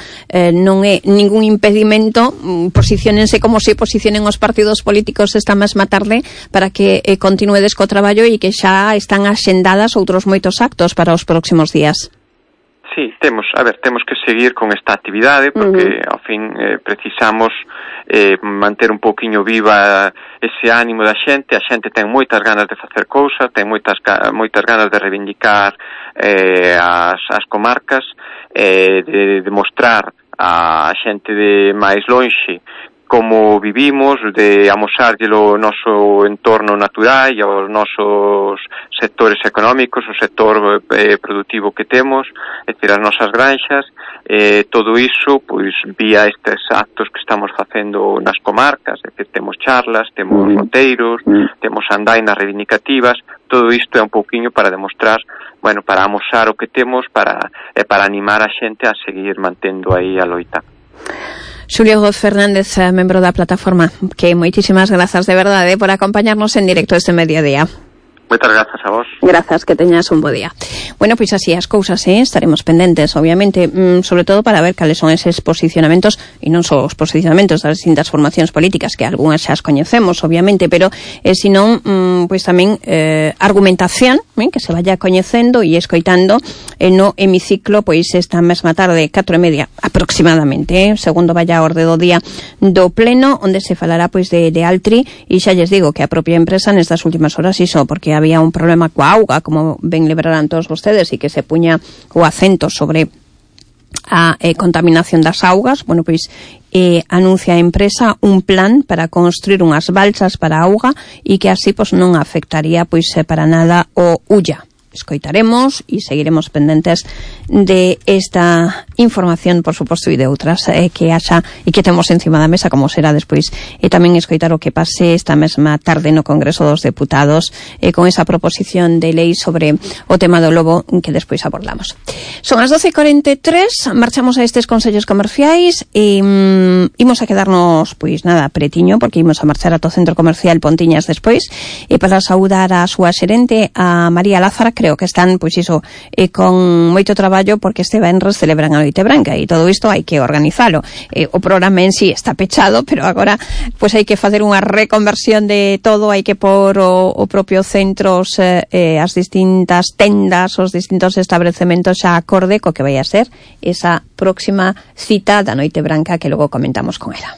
non é ningún impedimento, posiciónense como se posicionen os partidos políticos esta mesma tarde para que continuedes co traballo e que xa están axendadas outros moitos actos para os próximos días. Sí, temos que seguir con esta actividade porque ao fin precisamos manter un pouquiño viva ese ánimo da xente. A xente ten moitas ganas de facer cousas, ten moitas ganas de reivindicar as comarcas, de demostrar a xente de máis lonxe como vivimos, de amosárllelo o noso entorno natural e os nosos sectores económicos, o sector productivo que temos, é dicir, as nosas granxas, todo iso, pois, vía estes actos que estamos facendo nas comarcas, é dicir, temos charlas, temos roteiros, temos andainas reivindicativas, todo isto é un pouquiño para demostrar, bueno, para amosar o que temos, para animar a xente a seguir mantendo aí a loita. Xulio Fernández, membro da plataforma, que moitísimas grazas de verdade por acompañarnos en directo este mediodía. Moitas grazas a vos. Grazas, que teñas un bo día. Bueno, pois así as cousas, estaremos pendentes, obviamente, sobre todo para ver cales son eses posicionamentos, e non só os posicionamentos das distintas formacións políticas, que algunhas xa as coñecemos, obviamente, pero senón, pois tamén argumentación, que se vaya coñecendo e escoitando no hemiciclo, pois esta mesma tarde, 4:30 aproximadamente, segundo vaya a orde do día do pleno, onde se falará pois de Altri, e xa lles digo que a propia empresa nestas últimas horas iso, porque había un problema coa auga, como ben lembrarán todos vostedes, e que se puña o acento sobre a contaminación das augas. Bueno, pois anuncia a empresa un plan para construir unhas balsas para a auga e que así pois non afectaría pois para nada o Ulla. Escoitaremos e seguiremos pendentes de esta información, por suposto, e de outras que haxa e que temos encima da mesa, como será despois, e tamén escoitar o que pase esta mesma tarde no Congreso dos Deputados con esa proposición de lei sobre o tema do lobo que despois abordamos. Son as 12:43, marchamos a estes consellos comerciais e imos a quedarnos, pois nada, pretiño, porque imos a marchar ata o Centro Comercial Pontiñas despois, e para saudar a súa xerente, a María Lázara. Creo que están, pois iso, con moito traballo, porque este venres celebran a Noite Branca e todo isto hai que organizalo. O programa en sí está pechado, pero agora pois hai que facer unha reconversión de todo, hai que pôr o propio centros, as distintas tendas, os distintos establecementos xa acorde co que vai a ser esa próxima cita da Noite Branca que logo comentamos con ela.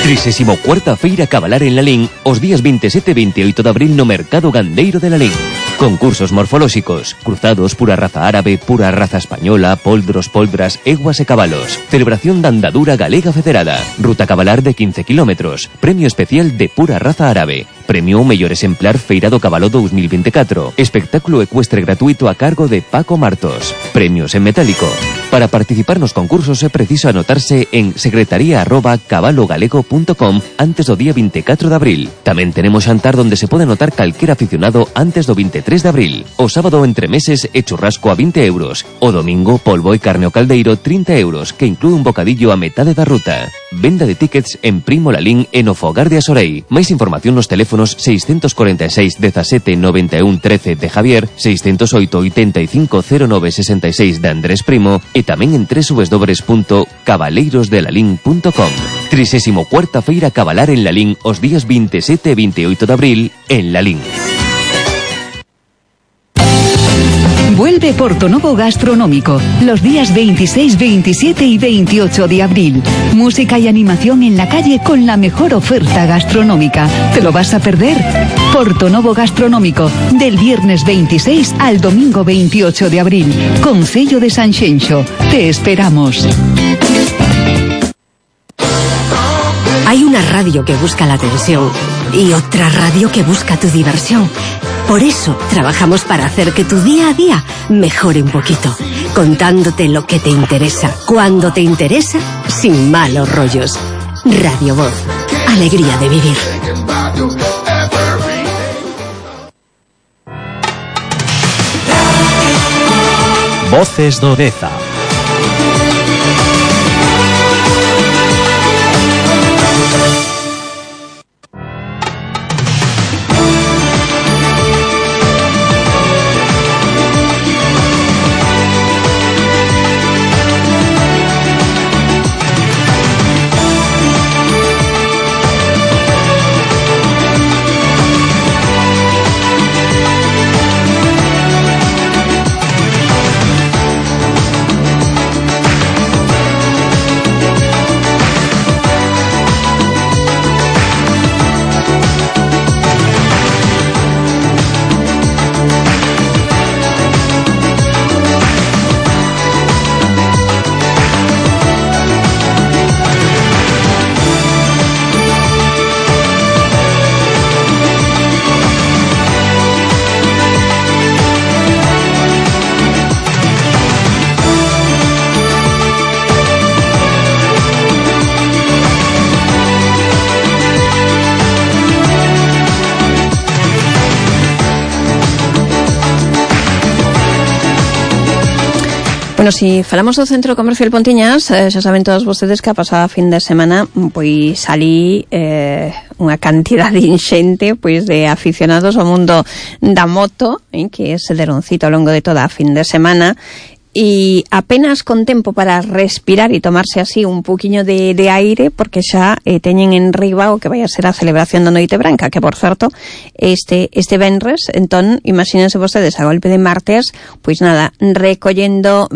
Trisésimo cuarta Feira Cabalar en Lalín, os días 27 e 28 de abril no Mercado Gandeiro de Lalín. Concursos morfolóxicos, cruzados, pura raza árabe, pura raza española, poldros, poldras, eguas e cabalos. Celebración da andadura galega federada. Ruta cabalar de 15 kilómetros. Premio especial de pura raza árabe. Premio mellor exemplar Feira do Cabalo 2024. Espectáculo ecuestre gratuito a cargo de Paco Martos. Premios en metálico. Para participar nos concursos é preciso anotarse en secretaría@cabalogalego.com antes do día 24 de abril. Tamén tenemos xantar donde se pode anotar calquera aficionado antes do 23 de abril. O sábado entre meses e churrasco a 20 euros. O domingo polvo e carne ao caldeiro 30 euros, que inclúe un bocadillo a metade da ruta. Venda de tickets en Primo Lalín e no Fogar de Asorei. Máis información nos teléfonos 646 17 91 13 de Javier, 608 85 09 66 de Andrés Primo e tamén en www.cabaleirosdelalín.com. 34ª Feira Cabalar en Lalín os días 27 e 28 de abril en Lalín. Vuelve Portonovo Gastronómico los días 26, 27 y 28 de abril. Música y animación en la calle con la mejor oferta gastronómica. ¿Te lo vas a perder? Portonovo Gastronómico del viernes 26 al domingo 28 de abril. Concello de Sanxenxo. Te esperamos. Hay una radio que busca la atención y otra radio que busca tu diversión. Por eso trabajamos para hacer que tu día a día mejore un poquito, contándote lo que te interesa, cuando te interesa, sin malos rollos. Radio Voz, alegría de vivir. Voces do Deza. Bueno, si falamos do Centro Comercial Pontiñas, xa saben todos vostedes que a pasada fin de semana pois salí unha cantidade inxente pois de aficionados ao mundo da moto, que se deron cita ao longo de toda a fin de semana, e apenas con tempo para respirar e tomarse así un poquinho de aire, porque xa teñen en riba o que vai a ser a celebración da Noite Branca, que por certo este venres, entón imagínense vostedes a golpe de martes, pois nada, recollendo,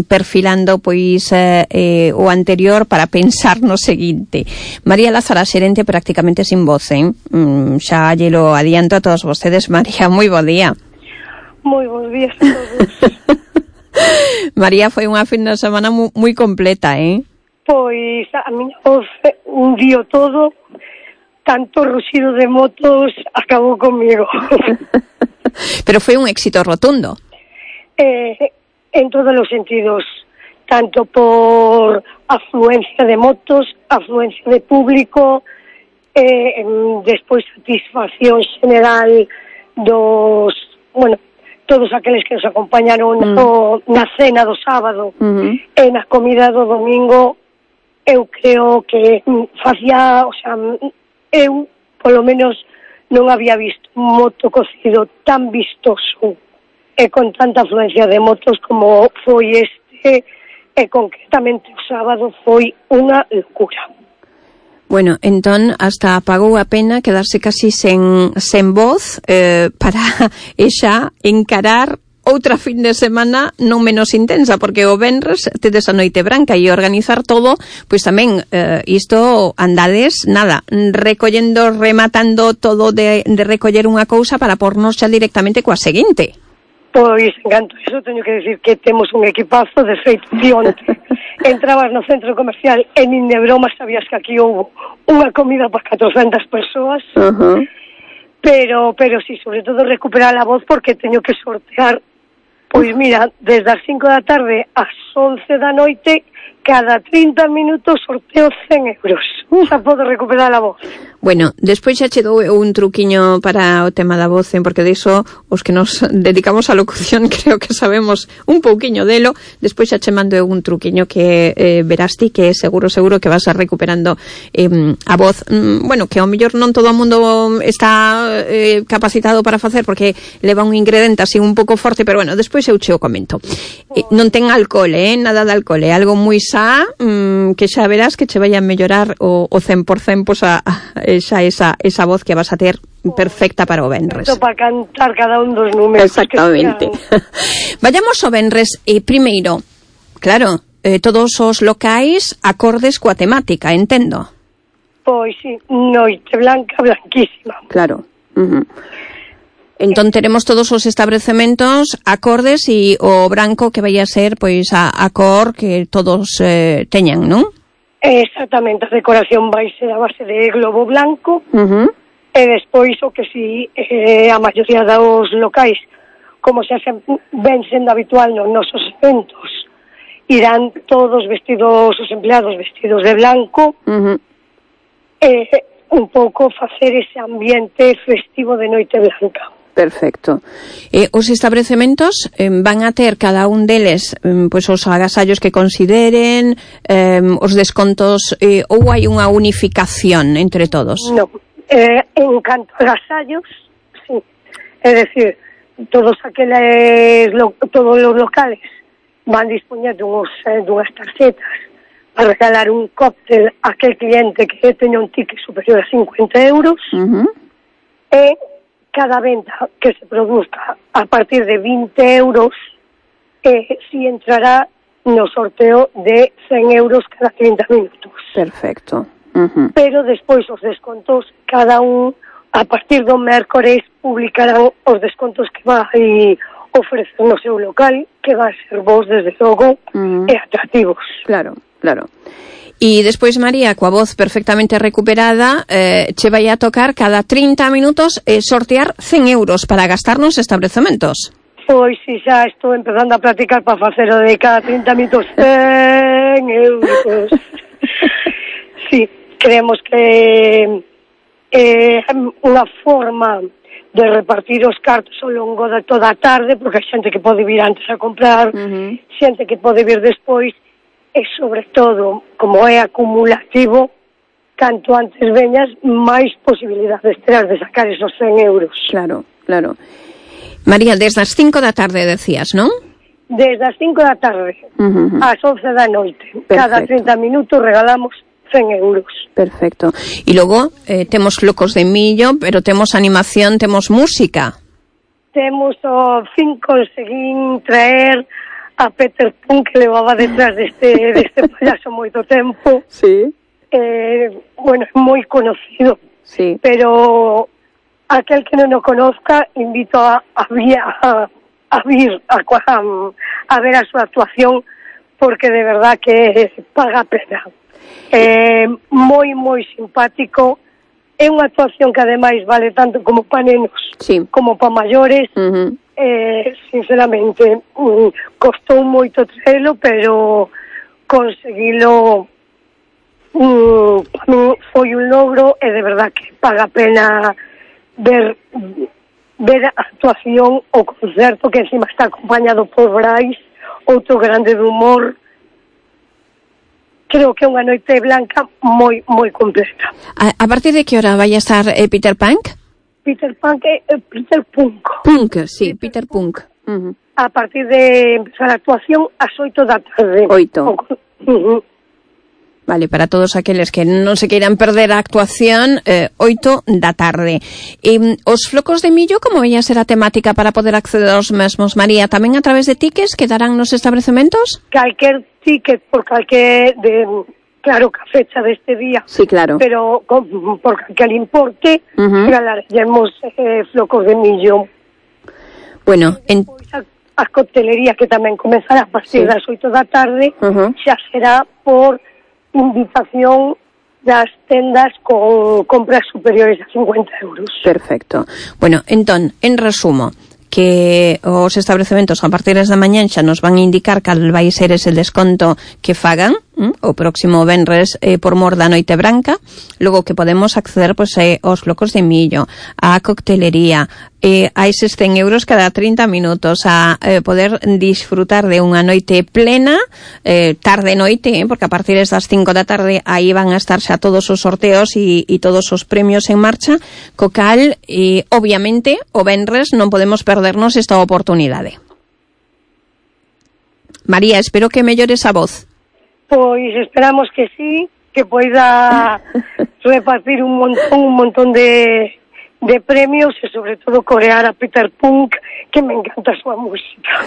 perfilando pois o anterior para pensar no seguinte. María Lázara, xerente prácticamente sin voz, xa llelo adianto a todos vostedes. María, moi bo día. Moi bons días a todos. María, foi unha fin de semana moi completa, Pois a miña voz un día todo, tanto ruxido de motos acabou comigo. Pero foi un éxito rotundo. En todos os sentidos, tanto por afluencia de motos, afluencia de público, despois satisfacción general dos, todos aqueles que nos acompañaron na cena do sábado e na comida do domingo. Eu creo que facía, eu polo menos non había visto un moto cocido tan vistoso e con tanta afluencia de motos como foi este, e concretamente o sábado foi unha locura. Bueno, entón, hasta pagou a pena quedarse casi sen voz para xa encarar outra fin de semana non menos intensa, porque o venres tedes a Noite Branca e organizar todo, pois tamén isto andades, nada, recollendo, rematando todo de recoller unha cousa para pornos xa directamente coa seguinte. Pois, en canto a eso, teño que decir que temos un equipazo de feito onte. Entrabas no centro comercial e nin de broma sabías que aquí houve unha comida para 400 persoas. Pero sí, sobre todo recuperar a voz, porque teño que sortear, pois mira, desde as 5 da tarde ás 11 da noite, cada 30 minutos sorteo 100 euros. Xa podo recuperar a voz. Bueno, despois xa che dou un truquiño para o tema da voz, porque de iso os que nos dedicamos á locución creo que sabemos un pouquiño delo. Despois xa che mando un truquiño que verás ti que seguro que vas a recuperando a voz. Bueno, que ao mellor non todo o mundo está capacitado para facer, porque leva un ingrediente así un pouco forte, pero bueno, despois eu che o comento. Non ten alcohol, nada de alcohol, é algo moi xa, que xa verás que che vai a mellorar o 100%, pois esa voz que vas a ter perfecta para o venres. Para cantar cada un dos números. Exactamente. Vayamos ao venres, primeiro, claro, todos os locais acordes coa temática, entendo. Pois sí, Noite Blanca, blanquísima. Claro. Entón teremos todos os establecementos acordes e o branco que vai a ser pois a cor que todos teñan, non? Exactamente, a decoración vai ser a base de globo blanco, e despois o que si a maioría dos locais, como xa ven sendo habitual nos nosos eventos, irán todos vestidos, os empleados vestidos de blanco, un pouco facer ese ambiente festivo de Noite Blanca. Perfecto. Os establecementos van a ter cada un deles pois os agasallos que consideren, os descontos, ou hai unha unificación entre todos? Non. En canto a agasallos, sí. É dicir, todos os locales van dispoñendo dunhas tarxetas para regalar un cóctel a aquel cliente que teña un ticket superior a 50 euros, e cada venta que se produzca a partir de 20 euros si entrará no sorteo de 100 euros cada 30 minutos. Perfecto. Pero despois os descontos, cada un a partir do mércores publicarán os descontos que vai ofrecer no seu local, que van ser vos desde logo e atractivos. Claro. E despois, María, coa voz perfectamente recuperada, che vai a tocar cada 30 minutos sortear 100 euros para gastar nos establecementos. Pois si, xa estou empezando a practicar para facer o de cada 30 minutos 100 euros. Sí, creemos que é unha forma de repartir os cartos ao longo de toda a tarde, porque hai xente que pode vir antes a comprar, xente que pode vir despois, e sobre todo, como é acumulativo, canto antes veñas, máis posibilidades terás de sacar esos 100 euros. Claro. María, desde as 5 da tarde decías, non? Desde as 5 da tarde ás 11 da noite. Perfecto. Cada 30 minutos regalamos 100 euros. Perfecto. E logo temos locos de millo, pero temos animación, temos música. Temos o fin conseguín traer a Peter Pan, que levaba detrás deste payaso moito tempo. Sí. Bueno, é moi conocido. Sí. Pero aquel que non o conozca, invito a vir a ver a súa actuación, porque de verdad que paga a pena. Moi simpático. É unha actuación que ademais vale tanto como para nenos como para maiores. Sinceramente costou moito traelo, pero conseguilo para mí foi un logro, e de verdad que paga a pena ver a actuación, o concerto, que encima está acompañado por Brais, outro grande de humor. Creo que é unha Noite Blanca moi completa. A partir de que hora vai a estar Peter Punk? Peter Punk é Peter Punk. Sí, Peter Punk. A partir de empezar a actuación ás 8 da tarde. 8. Vale, para todos aqueles que non se queiran perder a actuación, 8 da tarde. Os flocos de millo, como vai a ser a temática para poder acceder aos mesmos, María? Tamén a través de tickets que darán nos establecementos? Calquer ticket por calquer claro, que a fecha deste día. Sí, claro. Pero por calquer importe, regalaremos flocos de millo. Bueno, a coctelería, que tamén comezará a partir das 8 da tarde, xa será por invitación das tendas con compras superiores a 50 euros. Perfecto. Bueno, entón, en resumo, que os establecementos a partir da mañá xa nos van a indicar cal vai ser ese desconto que fagan o próximo venres por mor da Noite Branca, logo que podemos acceder aos flocos de millo, á coctelería, a eses 100 euros cada 30 minutos, a poder disfrutar de unha noite plena, tarde-noite, porque a partir das 5 da tarde aí van a estar xa todos os sorteos e todos os premios en marcha, co cal, obviamente, o venres non podemos perdernos esta oportunidade. María, espero que mellores a voz. Pois esperamos que sí, que poida repartir un montón de premios e sobre todo corear a Peter Punk, que me encanta a súa música.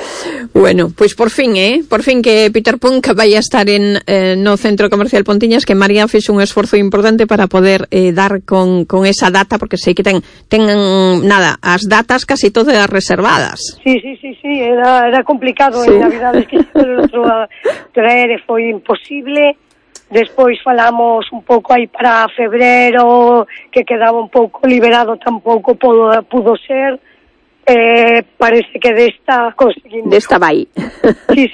Bueno, pois por fin que Peter Punk vai a estar no Centro Comercial Pontiñas, que María fixo un esforzo importante para poder dar con esa data, porque sei que ten as datas casi todas reservadas. Sí, era complicado, en Navidades que o outro a traer e foi imposible. Despois falamos un pouco aí para febrero, que quedaba un pouco liberado, tampouco pudo ser. Parece que desta conseguimos. Desta vai. Sí.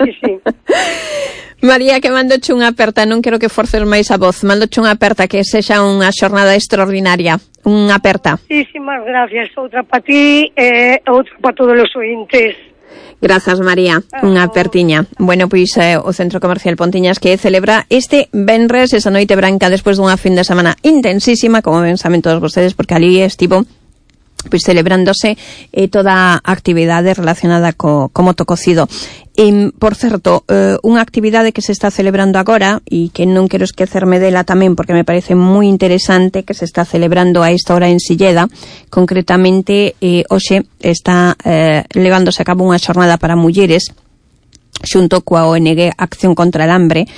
María, que mandoche unha aperta, non quero que forces máis a voz, mandoche unha aperta, que sexa unha xornada extraordinaria, unha aperta. Muchísimas gracias, outra para ti e outra para todos os ointes. Grazas, María, unha apertiña. Bueno, pois o Centro Comercial Pontiñas, que celebra este venres esa Noite Branca despois dunha fin de semana intensísima, como ben saben todos vostedes, porque ali estivo pois celebrándose toda a actividade relacionada co moto cocido. Por certo, unha actividade que se está celebrando agora e que non quero esquecerme dela tamén porque me parece moi interesante, que se está celebrando a esta hora en Silleda. Concretamente, hoxe está levándose a cabo unha xornada para mulleres xunto coa ONG Acción contra el Hambre,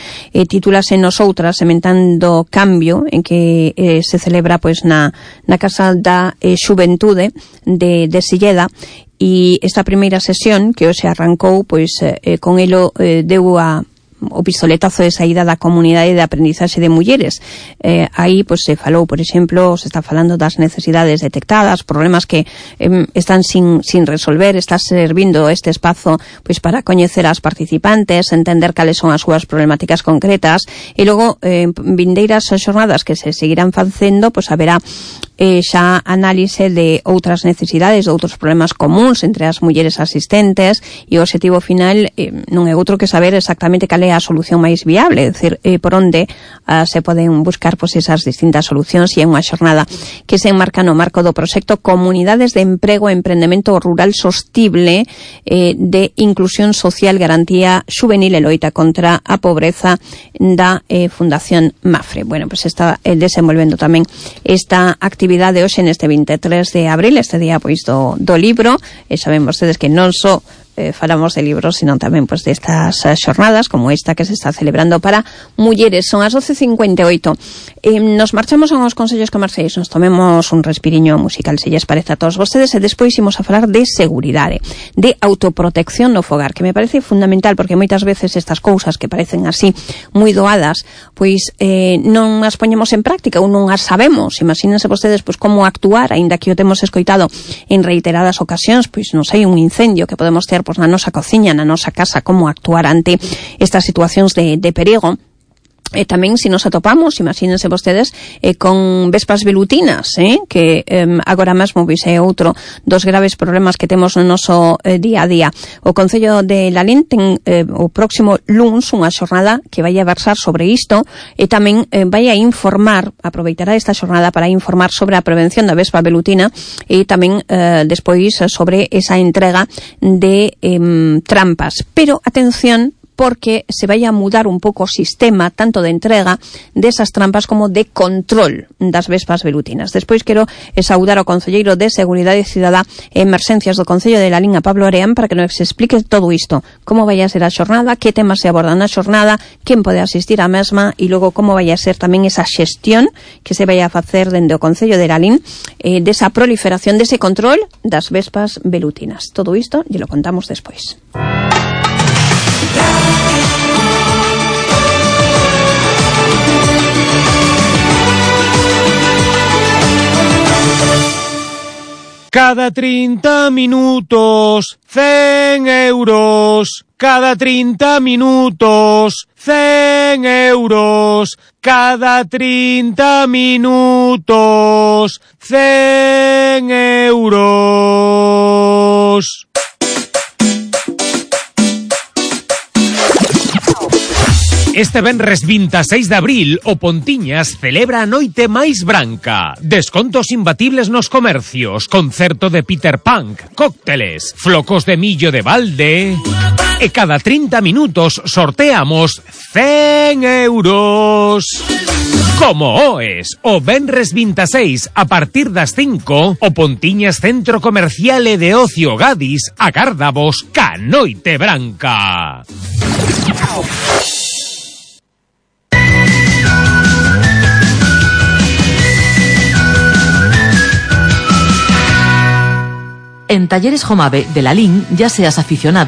titúlase Nosoutras sementando cambio, en que se celebra pois na Casa da Xuventude de Silleda, e esta primeira sesión que hoxe arrancou, pois con elo deu o pistoletazo de saída da comunidade de aprendizaxe de mulleres. Aí pois se falou, por exemplo, se está falando das necesidades detectadas, problemas que están sin resolver. Está servindo este espazo pois para coñecer as participantes, entender cales son as súas problemáticas concretas, e logo vindeiras xornadas que se seguirán facendo, pois haberá xa análise de outras necesidades, de outros problemas comuns entre as mulleres asistentes, e o objetivo final non é outro que saber exactamente cal é a solución máis viable, é dicir, por onde se poden buscar pois esas distintas solucións, e é unha xornada que se enmarca no marco do proxecto Comunidades de Emprego e Emprendemento Rural Sostible de Inclusión Social, Garantía Xuvenil e Loita contra a Pobreza da Fundación Mafre. Bueno, pois está desenvolvendo tamén esta actividade hoxe neste 23 de abril, este día pois do libro, e saben vostedes que non só falamos de libros, sino tamén pois destas xornadas como esta que se está celebrando para mulleres. Son as 12:58. Nos marchamos a uns consellos comerciais, nos tomemos un respiriño musical, se lles parece a todos vostedes, e despois imos a falar de seguridade, de autoprotección no fogar, que me parece fundamental, porque moitas veces estas cousas que parecen así moi doadas, pois non as poñemos en práctica ou non as sabemos. Imagínense vostedes pois como actuar, aínda que o temos escoitado en reiteradas ocasións, pois non sei, un incendio que podemos ter pois na nosa cociña, na nosa casa, como actuar ante estas situacións de perigo. E tamén se nos atopamos, imagínense vostedes, con vespas velutinas, que agora mesmo pois é outro dos graves problemas que temos no noso día a día. O Concello de Lalín ten o próximo luns unha xornada que vai a versar sobre isto, e tamén vai a informar, aproveitará esta xornada para informar sobre a prevención da vespa velutina, e tamén despois sobre esa entrega de trampas. Pero, atención, porque se vaya a mudar un pouco o sistema tanto de entrega desas trampas como de control das vespas velutinas. Despois quero saudar ao concelleiro de Seguridade Cidadá e Emerxencias do Concello de Lalín, a Pablo Areán, para que nos explique todo isto, como vai a ser a xornada, que temas se abordan na xornada, quen pode asistir á mesma e logo como vai a ser tamén esa xestión que se vai a facer dende o Concello de Lalín desa proliferación, dese control das vespas velutinas. Todo isto lle lo contamos despois. Cada 30 minutos, 100 euros. Cada 30 minutos, 100 euros. Cada 30 minutos, 100 euros. Este venres 26 de abril, o Pontiñas celebra a noite máis branca. Descontos imbatibles nos comercios, concerto de Peter Punk, cócteles, flocos de millo de balde. E cada 30 minutos sorteamos 100 euros. Como oes, o venres 26 a partir das 5, o Pontiñas Centro Comercial e de Ocio Gadis agárdavos ca noite branca. En Talleres Jomave de Lalín, ya seas aficionado